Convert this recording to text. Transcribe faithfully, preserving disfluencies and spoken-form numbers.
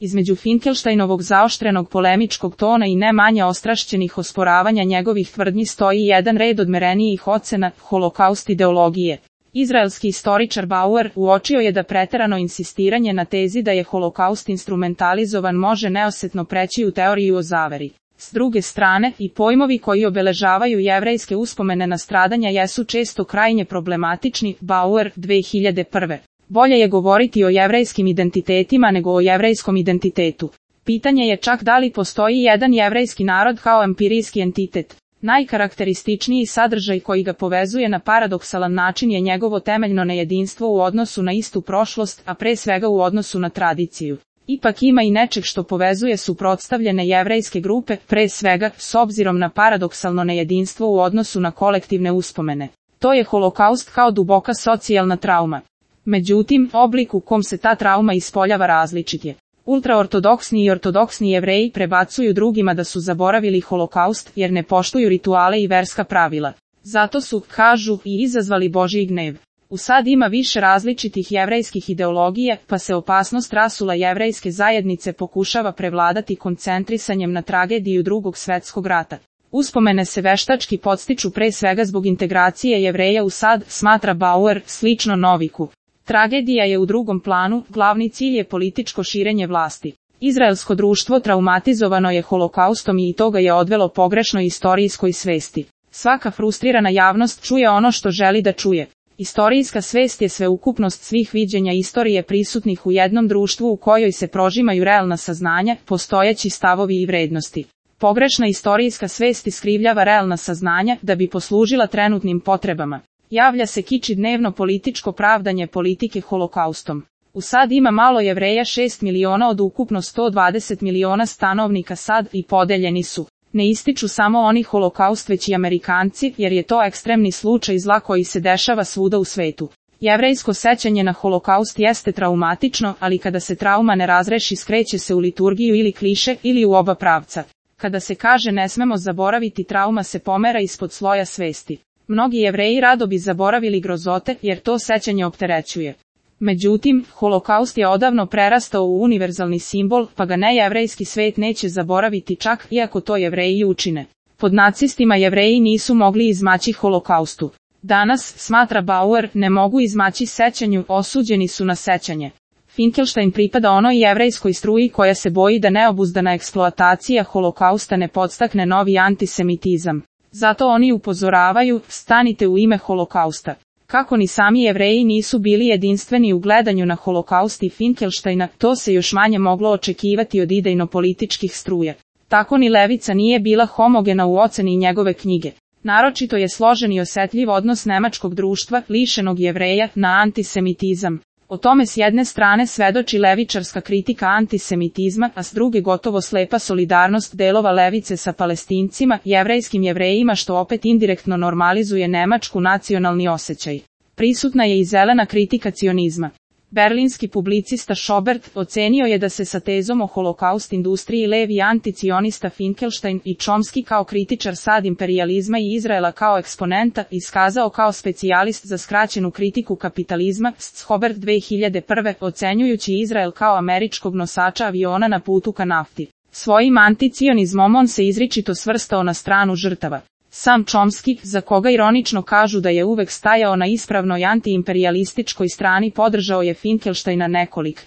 Između Finkelštejnovog zaoštrenog polemičkog tona i ne manje ostrašćenih osporavanja njegovih tvrdnji stoji jedan red odmerenijih ocena, holokaust ideologije. Izraelski istoričar Bauer uočio je da preterano insistiranje na tezi da je holokaust instrumentalizovan može neosetno preći u teoriju o zaveri. S druge strane, i pojmovi koji obeležavaju jevrejske uspomene na stradanja jesu često krajnje problematični. Bauer, dve hiljade prve. Bolje je govoriti o jevrejskim identitetima nego o jevrejskom identitetu. Pitanje je čak da li postoji jedan jevrejski narod kao empirijski entitet. Najkarakterističniji sadržaj koji ga povezuje na paradoksalan način je njegovo temeljno nejedinstvo u odnosu na istu prošlost, a pre svega u odnosu na tradiciju. Ipak ima i nečeg što povezuje suprotstavljene jevrejske grupe, pre svega, s obzirom na paradoksalno nejedinstvo u odnosu na kolektivne uspomene. To je holokaust kao duboka socijalna trauma. Međutim, oblik u kom se ta trauma ispoljava različit je. Ultraortodoksni i ortodoksni Jevreji prebacuju drugima da su zaboravili holokaust jer ne poštuju rituale i verska pravila. Zato su, kažu, i izazvali Božji gnev. U sad ima više različitih jevrejskih ideologija, pa se opasnost rasula jevrejske zajednice pokušava prevladati koncentrisanjem na tragediju Drugog svjetskog rata. Uspomene se veštački podstiču pre svega zbog integracije Jevreja u sad, smatra Bauer, slično Noviku. Tragedija je u drugom planu, glavni cilj je političko širenje vlasti. Izraelsko društvo traumatizovano je holokaustom i toga je odvelo pogrešnoj istorijskoj svesti. Svaka frustrirana javnost čuje ono što želi da čuje. Istorijska svest je sveukupnost svih viđenja istorije prisutnih u jednom društvu u kojoj se prožimaju realna saznanja, postojeći stavovi i vrednosti. Pogrešna istorijska svest iskrivljava realna saznanja da bi poslužila trenutnim potrebama. Javlja se kiči dnevno političko pravdanje politike holokaustom. U sad ima malo Jevreja šest miliona od ukupno sto dvadeset miliona stanovnika sad i podeljeni su. Ne ističu samo oni holokaust već i Amerikanci, jer je to ekstremni slučaj zla koji se dešava svuda u svetu. Jevrejsko sećanje na holokaust jeste traumatično, ali kada se trauma ne razreši skreće se u liturgiju ili kliše ili u oba pravca. Kada se kaže ne smemo zaboraviti, trauma se pomera ispod sloja svesti. Mnogi Jevreji rado bi zaboravili grozote, jer to sećanje opterećuje. Međutim, holokaust je odavno prerastao u univerzalni simbol, pa ga nejevrejski svet neće zaboraviti čak iako to Jevreji učine. Pod nacistima Jevreji nisu mogli izmaći holokaustu. Danas, smatra Bauer, ne mogu izmaći sećanju, osuđeni su na sećanje. Finkelštajn pripada onoj jevrejskoj struji koja se boji da neobuzdana eksploatacija holokausta ne podstakne novi antisemitizam. Zato oni upozoravaju, stanite u ime holokausta. Kako ni sami Jevreji nisu bili jedinstveni u gledanju na holokaust i Finkelštajna, to se još manje moglo očekivati od idejno-političkih struja. Tako ni levica nije bila homogena u oceni njegove knjige. Naročito je složen i osetljiv odnos nemačkog društva, lišenog Jevreja, na antisemitizam. O tome s jedne strane svedoči levičarska kritika antisemitizma, a s druge gotovo slepa solidarnost delova levice sa Palestincima, jevrejskim Jevrejima, što opet indirektno normalizuje nemačku nacionalni osjećaj. Prisutna je i zelena kritika cionizma. Berlinski publicista Schobert ocenio je da se sa tezom o holokaust industriji levi anticionista Finkelštajn i Chomsky kao kritičar sad imperijalizma i Izraela kao eksponenta iskazao kao specijalist za skraćenu kritiku kapitalizma. Schobert dve hiljade prve ocenjujući Izrael kao američkog nosača aviona na putu ka nafti. Svojim anticionizmom on se izričito svrstao na stranu žrtava. Sam Chomsky, za koga ironično kažu da je uvek stajao na ispravnoj antiimperijalističkoj strani, podržao je Finkelštajna nekolik